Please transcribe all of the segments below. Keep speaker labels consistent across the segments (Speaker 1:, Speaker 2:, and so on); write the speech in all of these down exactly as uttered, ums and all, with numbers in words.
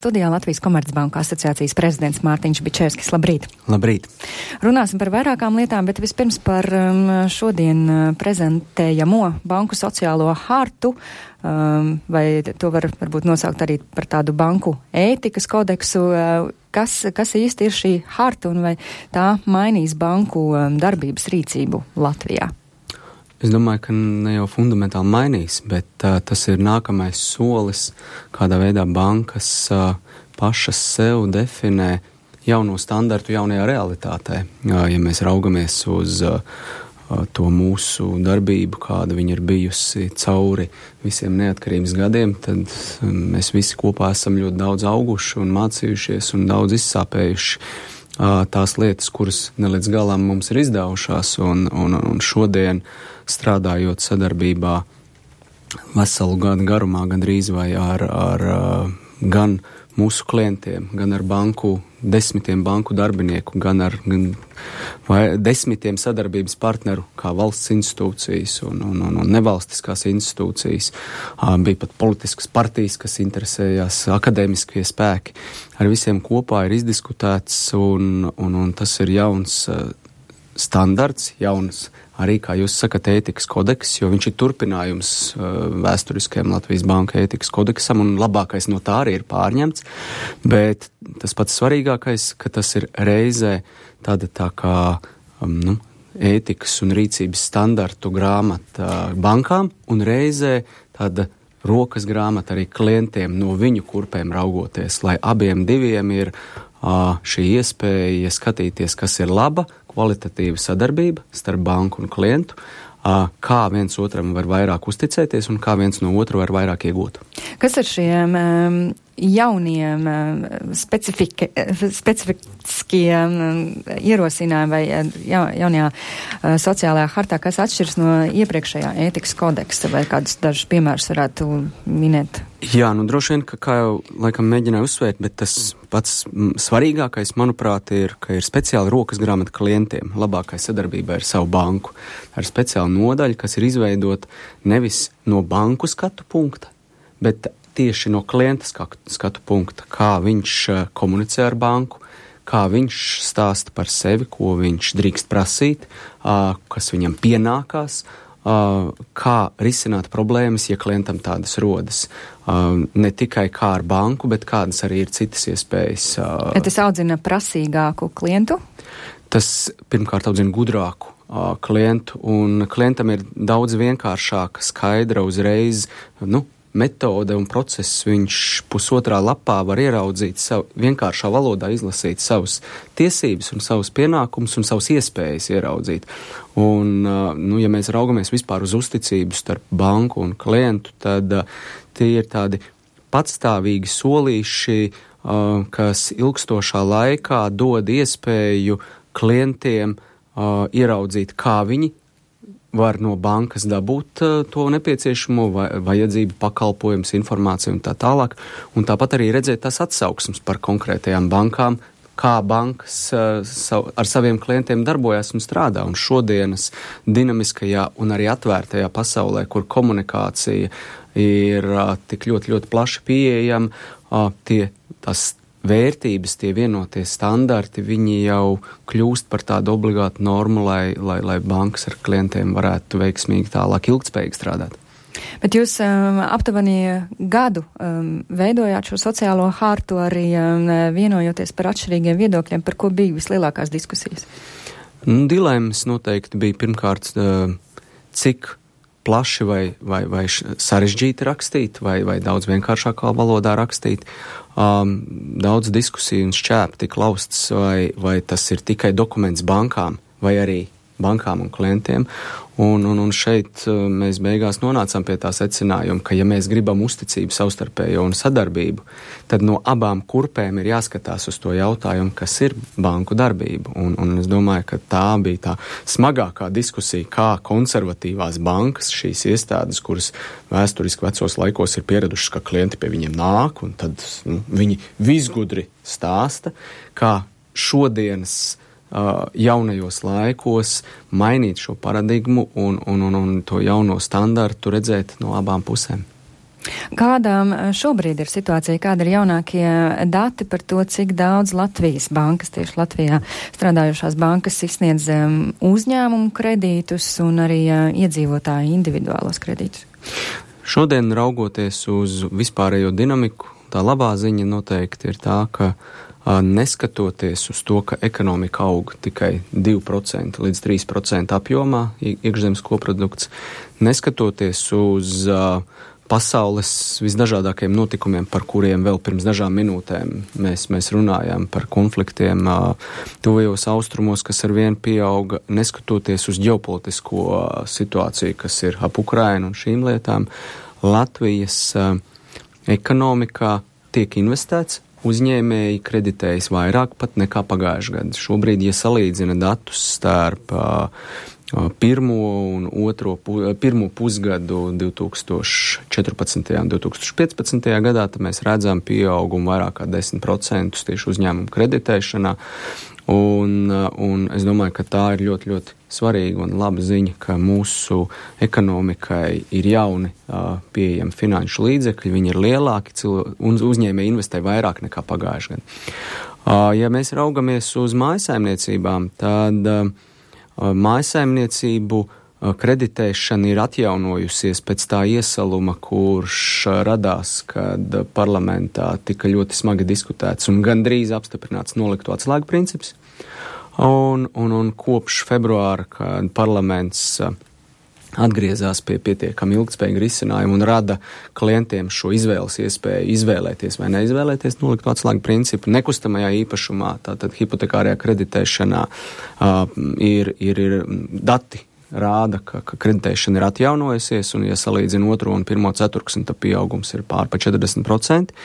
Speaker 1: studijā Latvijas Komercbanku asociācijas prezidents Mārtiņš Bičevskis. Labrīt!
Speaker 2: Labrīt!
Speaker 1: Runāsim par vairākām lietām, bet vispirms par um, šodien prezentējamo banku sociālo hartu, um, vai to var varbūt nosaukt arī par tādu banku ētikas kodeksu. Uh, kas, kas īsti ir šī harta un vai tā mainīs banku um, darbības rīcību Latvijā?
Speaker 2: Es domāju, ka ne jau fundamentāli mainīs, bet uh, tas ir nākamais solis, kādā veidā bankas uh, pašas sev definē jauno standartu jaunajā realitātē. Uh, ja mēs raugamies uz uh, to mūsu darbību, kāda viņa ir bijusi cauri visiem neatkarības gadiem, tad um, mēs visi kopā esam ļoti daudz auguši un mācījušies un daudz izsāpējuši uh, tās lietas, kuras ne līdz galam mums ir izdevušās, un, un, un šodien strādājot sadarbībā veselu gadu garumā, gandrīz vai ar, ar gan mūsu klientiem, gan ar banku, desmitiem banku darbinieku, gan ar gan, vai desmitiem sadarbības partneru, kā valsts institūcijas un, un, un, un nevalstiskās institūcijas. Bija pat politiskas partijas, kas interesējās, akadēmiskie spēki. Ar visiem kopā ir izdiskutēts, un, un, un tas ir jauns standarts, jauns arī, kā jūs sakat, ētikas kodeks, jo viņš ir turpinājums uh, vēsturiskajam Latvijas banka ētikas kodeksam, un labākais no tā arī ir pārņemts, bet tas pats svarīgākais, ka tas ir reizē tāda tā kā um, nu, ētikas un rīcības standartu grāmata bankām, un reizē tāda rokas grāmata arī klientiem no viņu kurpēm raugoties, lai abiem diviem ir uh, šī iespēja skatīties, kas ir laba, kvalitatīva sadarbība starp banku un klientu, kā viens otram var vairāk uzticēties un kā viens no otra var vairāk iegūt.
Speaker 1: Kas ar šiem um, jauniem um, specifika, specifiskiem um, ierosinājumiem vai ja, jaunajā uh, sociālajā hartā, kas atšķirs no iepriekšējā ētikas kodeksa, vai kādus dažus piemērus varētu minēt?
Speaker 2: Jā, nu droši vien, ka kā jau laikam mēģināju uzsvērt, bet tas pats svarīgākais, manuprāt, ir, ka ir speciāla rokas grāmata klientiem. Labākai sadarbībai ar savu banku. Ar speciālu nodaļu, kas ir izveidota nevis no banku skatu punkta, bet tieši no klienta skatu punkta, kā viņš komunicē ar banku, kā viņš stāsta par sevi, ko viņš drīkst prasīt, kas viņam pienākās, kā risināt problēmas, ja klientam tādas rodas. Ne tikai kā ar banku, bet kādas arī ir citas iespējas.
Speaker 1: Ja tas audzina prasīgāku klientu?
Speaker 2: Tas pirmkārt audzina gudrāku uh, klientu, un klientam ir daudz vienkāršāka, skaidra uzreiz, nu, metode un process. Viņš pusotrā lapā var ieraudzīt savu, vienkāršā valodā izlasīt savus tiesības un savus pienākumus un savus iespējas ieraudzīt. Un, uh, nu, ja mēs raugamies vispār uz uzticību starp banku un klientu, tad uh, tie ir tādi patstāvīgi solīši, uh, kas ilgstošā laikā dod iespēju klientiem uh, ieraudzīt, kā viņi var no bankas dabūt uh, to nepieciešamo vai, vajadzību, pakalpojums, informāciju un tā tālāk. Un tāpat arī redzēt tās atsauksmes par konkrētajām bankām, kā bankas uh, sav, ar saviem klientiem darbojas un strādā. Un šodienas dinamiskajā un arī atvērtajā pasaulē, kur komunikācija ir uh, tik ļoti, ļoti plaši pieejama, uh, tie tās vērtības, tie vienotie standarti, viņi jau kļūst par tādu obligātu normu, lai, lai, lai bankas ar klientiem varētu veiksmīgi tālāk ilgtspējīgi strādāt.
Speaker 1: Bet jūs um, aptuveni gadu um, veidojāt šo sociālo hartu, arī um, vienojoties par atšķirīgiem viedokļiem, par ko bija vislielākās diskusijas?
Speaker 2: Nu, dilemmas noteikti bija pirmkārt, uh, cik plaši vai, vai, vai sarežģīti rakstīt, vai, vai daudz vienkāršākā valodā rakstīt. Um, daudz diskusiju un šķēp tik laustas, vai, vai tas ir tikai dokuments bankām, vai arī bankām un klientiem. Un, un, un šeit uh, mēs beigās nonācām pie tā secinājuma, ka ja mēs gribam uzticību savstarpējo un sadarbību, tad no abām kurpēm ir jāskatās uz to jautājumu, kas ir banku darbība. Un, un es domāju, ka tā bija tā smagākā diskusija, kā konservatīvās bankas, šīs iestādes, kuras vēsturiski vecos laikos ir pieradušas, ka klienti pie viņiem nāk, un tad nu, viņi visgudri stāsta, kā šodienas Uh, jaunajos laikos mainīt šo paradigmu un, un, un, un to jauno standartu redzēt no abām pusēm.
Speaker 1: Kādām šobrīd ir situācija, kāda ir jaunākie dati par to, cik daudz Latvijas bankas, tieši Latvijā strādājušās bankas izsniedz uzņēmumu kredītus un arī iedzīvotāju individuālos kredītus?
Speaker 2: Šodien raugoties uz vispārējo dinamiku, tā labā ziņa noteikti ir tā, ka neskatoties uz to, ka ekonomika aug tikai divi procenti līdz trīs procenti apjomā, iekšzemes koprodukts, neskatoties uz uh, pasaules visdažādākajiem notikumiem, par kuriem vēl pirms dažām minūtēm mēs, mēs runājām, par konfliktiem uh, tuvajos austrumos, kas ar vienu pieauga, neskatoties uz ģeopolitisko uh, situāciju, kas ir ap Ukrainu un šīm lietām, Latvijas uh, ekonomikā tiek investēts, uzņēmēji kreditējas vairāk pat nekā pagājušajā gadā. Šobrīd, ja salīdzina datus starp uh, pirmo un otro pu, pirmo pusgadu divi tūkstoši četrpadsmitajā un divi tūkstoši piecpadsmitajā gadā, tad mēs redzam pieaugumu vairāk kā desmit procentus tieši uzņēmumu kreditēšanā. Un, un es domāju, ka tā ir ļoti, ļoti svarīga un laba ziņa, ka mūsu ekonomikai ir jauni uh, pieejami finanšu līdzekļi, viņi ir lielāki, cilvē, un uzņēmēji investē vairāk nekā pagājušajā gadā. Uh, ja mēs raugamies uz mājsaimniecībām, tad uh, mājsaimniecību uh, kreditēšana ir atjaunojusies pēc tā iesaluma, kurš uh, radās, kad uh, parlamentā tika ļoti smagi diskutēts un gandrīz apstiprināts nolikto atslēgu princips. Un, un, un kopš februāra, kad parlaments uh, atgriezās pie pietiekami ilgtspējīga risinājuma un rada klientiem šo izvēles iespēju izvēlēties vai neizvēlēties nolikto atslēgu principu, nekustamajā īpašumā, tātad hipotekārajā kreditēšanā uh, ir, ir, ir dati rāda, ka, ka kreditēšana ir atjaunojusies, un ja salīdzina otro un pirmo ceturksni, tad pieaugums ir pār pa četrdesmit procenti.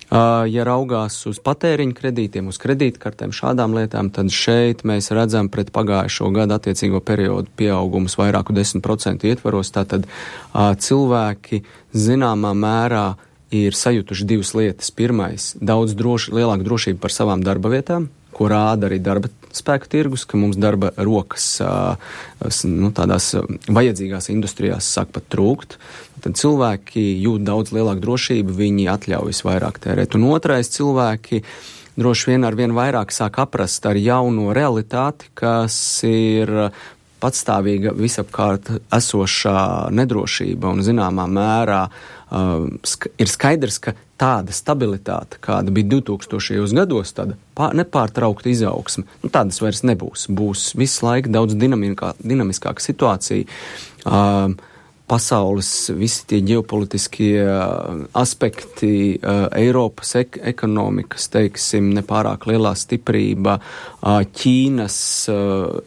Speaker 2: Uh, ja raugās uz patēriņu kredītiem, uz kredītkartēm, šādām lietām, tad šeit mēs redzam pret pagājušo gadu attiecīgo periodu pieaugumus vairāku desmit procentu ietvaros. Tātad uh, cilvēki zināmā mērā ir sajutuši divas lietas. Pirmais, daudz droši, lielāku drošību par savām darba vietām, ko rāda arī darba spēku tirgus, ka mums darba rokas nu, tādās vajadzīgās industrijās sāk pat trūkt. Tad cilvēki jūt daudz lielāku drošību, viņi atļaujas vairāk tērēt. Un otrais, cilvēki droši vien ar vien vairāk sāk aprast ar jauno realitāti, kas ir patstāvīga visapkārt esošā nedrošība un zināmā mērā uh, sk- ir skaidrs, ka tāda stabilitāte, kāda bija divtūkstošajos gados, tāda pār, nepārtraukta izaugsme, nu, tādas vairs nebūs. Būs visu laiku daudz dinamikā, dinamiskāka situācija. Uh, pasaules, visi tie ģeopolitiskie aspekti, Eiropas ek- ekonomikas, teiksim, nepārāk lielā stiprība, Ķīnas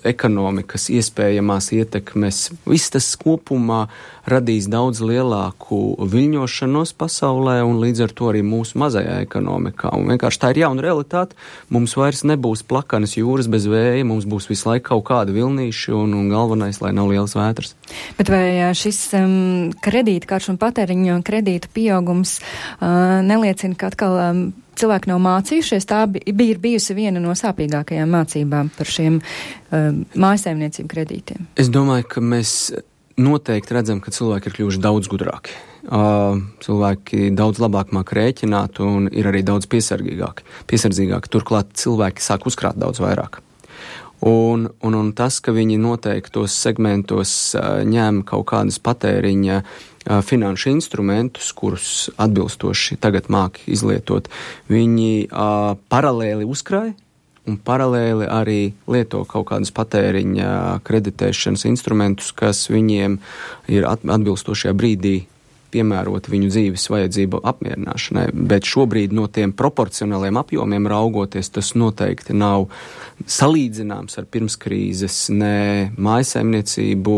Speaker 2: ekonomikas iespējamās ietekmes, viss tas kopumā radīs daudz lielāku viļņošanos pasaulē un līdz ar to arī mūsu mazajā ekonomikā. Un vienkārši tā ir jauna realitāte. Mums vairs nebūs plakanas jūras bez vēja, mums būs visu laiku kaut kādi vilnīši un, un galvenais, lai nav lielas vētras.
Speaker 1: Bet vai šis um, kredītkaršu un patēriņu kredītu pieaugums uh, neliecina, ka atkal um, cilvēki nav mācījušies? Tā bija bijusi viena no sāpīgākajām mācībām par šiem um, mājsaimniecību kredītiem.
Speaker 2: Es domāju, ka mēs noteikti redzam, ka cilvēki ir kļuvuši daudz gudrāki. Uh, cilvēki daudz labāk māk rēķināt un ir arī daudz piesardzīgāki. piesardzīgāki. Turklāt cilvēki sāk uzkrāt daudz vairāk. Un, un, un tas, ka viņi noteiktos segmentos uh, ņem kaut kādus patēriņa uh, finanšu instrumentus, kurus atbilstoši tagad māk izlietot, viņi uh, paralēli uzkrāja un paralēli arī lieto kaut kādus patēriņa kreditēšanas instrumentus, kas viņiem ir atbilstošajā brīdī piemērot viņu dzīves vajadzību apmierināšanai. Bet šobrīd no tiem proporcionāliem apjomiem raugoties, tas noteikti nav salīdzināms ar pirmskrīzes ne mājsaimniecību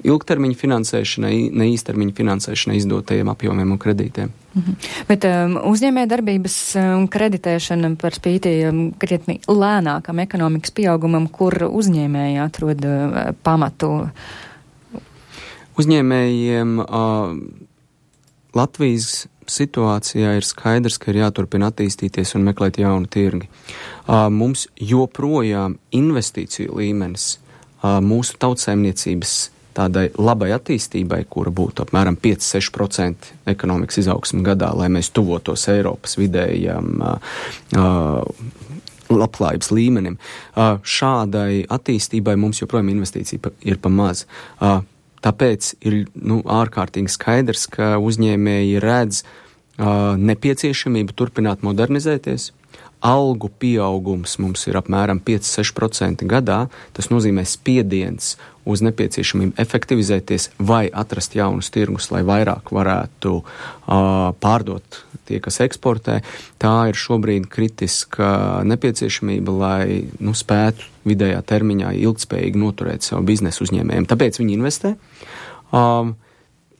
Speaker 2: ilgtermiņa finansēšanai, ne īstermiņa finansēšanai izdotajiem apjomiem un kredītiem.
Speaker 1: Mhm. Bet um, uzņēmē darbības um, kreditēšana par spīti um, krietni lēnākam ekonomikas pieaugumam, kur uzņēmēji atrod uh, pamatu.
Speaker 2: Uzņēmējiem uh, Latvijas situācijā ir skaidrs, ka ir jāturpina attīstīties un meklēt jaunu tirgi. Uh, mums joprojām investīciju līmenis uh, mūsu tautsaimniecības tādai labai attīstībai, kura būtu apmēram pieci līdz seši procenti ekonomikas izaugsme gadā, lai mēs tuvotos Eiropas vidējam uh, uh, labklājības līmenim. Uh, šādai attīstībai mums joprojām investīcija pa, ir pa maz. Uh, tāpēc ir nu, ārkārtīgi skaidrs, ka uzņēmēji redz uh, nepieciešamību turpināt modernizēties. Algu pieaugums mums ir apmēram pieci līdz seši procenti gadā. Tas nozīmē spiediens uz nepieciešamību efektivizēties vai atrast jaunus tirgus, lai vairāk varētu uh, pārdot tie, kas eksportē. Tā ir šobrīd kritiska nepieciešamība, lai nu, spētu vidējā termiņā ilgtspējīgi noturēt savu biznesu uzņēmējiem. Tāpēc viņi investē. Um,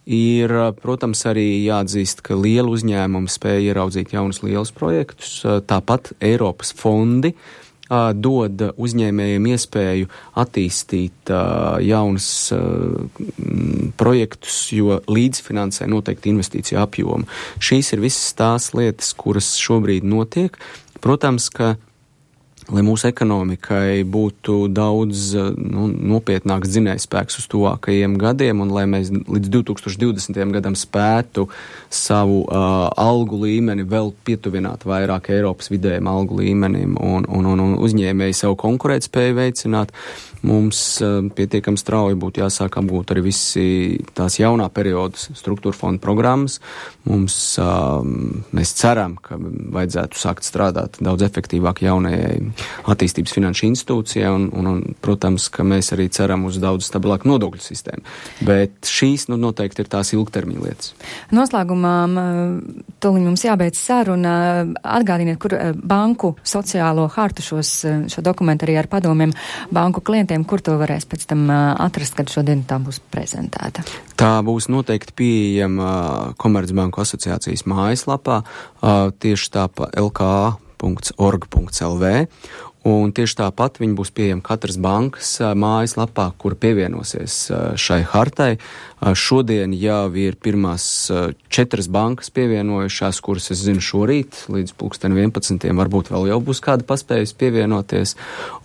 Speaker 2: Ir, protams, arī jāatzīst, ka liela uzņēmuma spēja ieraudzīt jaunus lielus projektus. Tāpat Eiropas fondi uh, dod uzņēmējiem iespēju attīstīt uh, jaunus uh, projektus, jo līdzfinansē noteikti investīciju apjomu. Šīs ir visas tās lietas, kuras šobrīd notiek. Protams, ka lai mūsu ekonomikai būtu daudz nu, nopietnāks dzinējspēks uz tuvākajiem gadiem un lai mēs līdz divi tūkstoši divdesmitajam gadam spētu savu uh, algu līmeni vēl pietuvināt vairāk Eiropas vidējiem algu līmenim un, un, un, un uzņēmēji savu konkurētspēju veicināt, mums uh, pietiekami strauji būtu jāsāk apgūt arī visi tās jaunā perioda struktūra fonda programmas. Mums, uh, mēs ceram, ka vajadzētu sākt strādāt daudz efektīvāk jaunajai attīstības finanšu institūcijā un, un, un, protams, ka mēs arī ceram uz daudz stabilāku nodokļu sistēmu. Bet šīs, nu, noteikti ir tās ilgtermiņa lietas.
Speaker 1: Noslēgumā tūlīt mums jābeidz saruna. Atgādiniet, kur banku sociālo hartu šos, šo dokumentu arī ar padomiem banku klientiem, kur to varēs pēc tam atrast, kad šodien tā būs prezentēta.
Speaker 2: Tā būs noteikti pieejama Komercbanku asociācijas mājaslapā, tieši tā pa L K A punkts org punkts L V, un tieši tāpat viņi būs pieejami katras bankas mājaslapā, kur pievienosies šai hartai. Šodien jau ir pirmās četras bankas pievienojušās, kuras es zinu šorīt, līdz pulksten vienpadsmitiem, varbūt vēl jau būs kāda paspējusi pievienoties,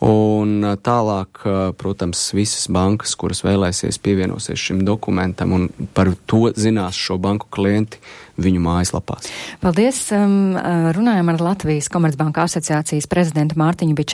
Speaker 2: un tālāk, protams, visas bankas, kuras vēlēsies pievienosies šim dokumentam, un par to zinās šo banku klienti viņu mājaslapās.
Speaker 1: Paldies! Runājam ar Latvijas Komercbanku asociācijas prezidentu Mārtiņu Biču.